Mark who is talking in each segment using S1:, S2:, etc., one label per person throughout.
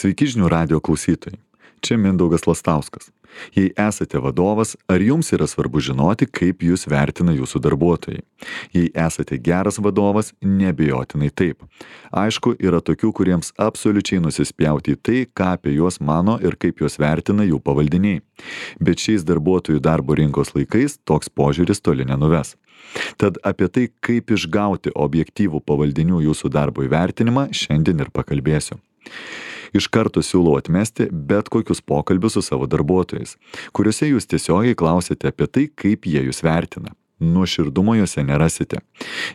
S1: Sveiki žinių radijo klausytojai. Čia Mindaugas Lastauskas. Jei esate vadovas, ar jums yra svarbu žinoti, kaip jūs vertina jūsų darbuotojai? Jei esate geras vadovas, neabejotinai taip. Aišku, yra tokių, kuriems absoliučiai nusispjauti į tai, ką apie juos mano ir kaip juos vertina jų pavaldiniai. Bet šiais darbuotojų darbo rinkos laikais toks požiūris toli nenuves. Tad apie tai, kaip išgauti objektyvų pavaldinių jūsų darbo įvertinimą, šiandien ir pakalbėsiu. Iš karto siūlau atmesti bet kokius pokalbius su savo darbuotojais, kuriuose jūs tiesiogiai klausite apie tai, kaip jie jūs vertina. Nuoširdumo juose nerasite.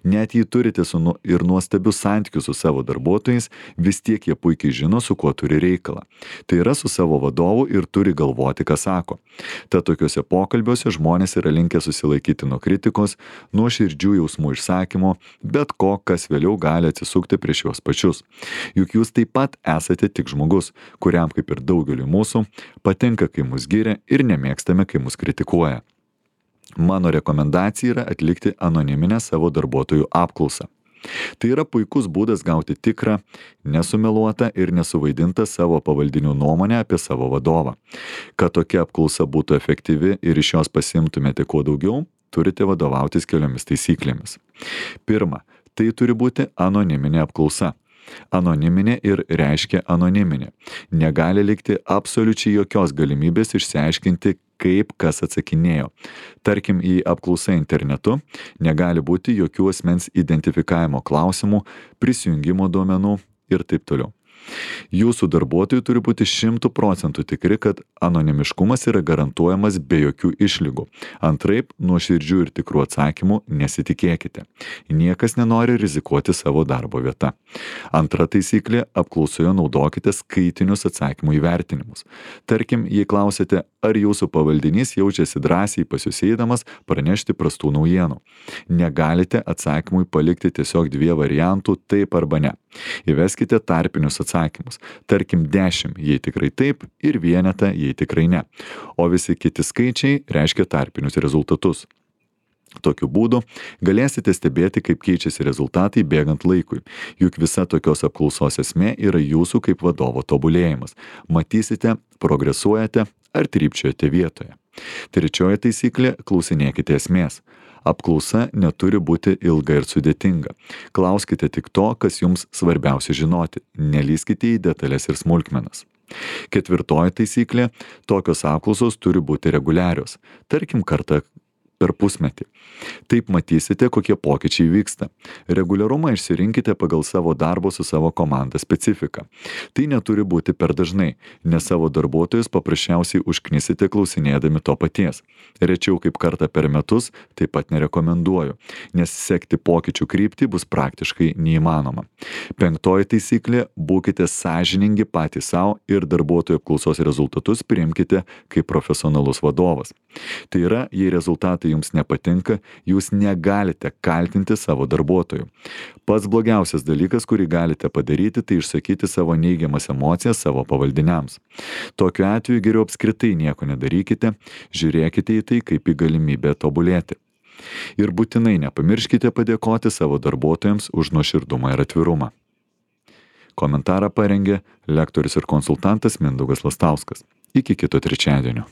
S1: Net jei turite ir nuostabius santykius su savo darbuotojais, vis tiek jie puikiai žino, su kuo turi reikalą. Tai yra su savo vadovu ir turi galvoti, ką sako. Tad tokiuose pokalbiuose žmonės yra linkę susilaikyti nuo kritikos, nuo širdžių jausmų išsakymo, bet ko, kas vėliau gali atsisukti prieš juos pačius. Juk jūs taip pat esate tik žmogus, kuriam, kaip ir daugeliui mūsų, patinka, kai mus giria ir nemėgstame, kai mus kritikuoja. Mano rekomendacija yra atlikti anoniminę savo darbuotojų apklausą. Tai yra puikus būdas gauti tikrą, nesumeluotą ir nesuvaidintą savo pavaldinių nuomonę apie savo vadovą. Kad tokia apklausa būtų efektyvi ir iš jos pasiimtumėte kuo daugiau, turite vadovautis keliomis taisyklėmis. Pirma, tai turi būti anoniminė apklausa. Anoniminė ir reiškia anoniminė. Negali likti absoliučiai jokios galimybės išsiaiškinti, kaip kas atsakinėjo. Tarkim, į apklausą internetu negali būti jokių asmens identifikavimo klausimų, prisijungimo duomenų ir taip toliau. Jūsų darbuotojai turi būti 100% tikri, kad anonimiškumas yra garantuojamas be jokių išlygų. Antraip, nuoširdžių ir tikrų atsakymų nesitikėkite. Niekas nenori rizikuoti savo darbo vieta. Antra taisyklė - apklausoje naudokite skaitinius atsakymų įvertinimus. Tarkim, jei klausite, ar jūsų pavaldinys jaučiasi drąsiai pas jūs eidamas pranešti prastų naujienų. Negalite atsakymui palikti tiesiog 2 variantų taip arba ne. Įveskite tarpinius atsakymus. Tarkim 10, jei tikrai taip, ir vienetą, jei tikrai ne. O visi kiti skaičiai reiškia tarpinius rezultatus. Tokiu būdu galėsite stebėti, kaip keičiasi rezultatai bėgant laikui. Juk visa tokios apklausos esmė yra jūsų kaip vadovo tobulėjimas. Matysite, progresuojate ar trypčiojate vietoje. Trečioji taisyklė - klausinėkite esmės. Apklausa neturi būti ilga ir sudėtinga. Klauskite tik to, kas jums svarbiausia žinoti. Nelįskite į detalės ir smulkmenas. Ketvirtoji taisyklė - tokios apklausos turi būti reguliarios. Tarkim, kartą per pusmetį. Taip matysite, kokie pokyčiai vyksta. Reguliarumą išsirinkite pagal savo darbo su savo komanda specifiką. Tai neturi būti per dažnai, nes savo darbuotojus paprasčiausiai užknisite klausinėdami to paties. Rečiau kaip kartą per metus taip pat nerekomenduoju, nes sekti pokyčių kryptį bus praktiškai neįmanoma. Penktoji taisyklė - būkite sąžiningi patys savo ir darbuotojų apklausos rezultatus priimkite kaip profesionalus vadovas. Tai yra, jei rezultatai jums nepatinka, jūs negalite kaltinti savo darbuotojų. Pats blogiausias dalykas, kurį galite padaryti, tai išsakyti savo neigiamas emocijas savo pavaldiniams. Tokiu atveju geriau apskritai nieko nedarykite, žiūrėkite į tai kaip į galimybę tobulėti. Ir būtinai nepamirškite padėkoti savo darbuotojams už nuoširdumą ir atvirumą. Komentarą parengė lektorius ir konsultantas Mindaugas Lastauskas. Iki kito trečiadienio.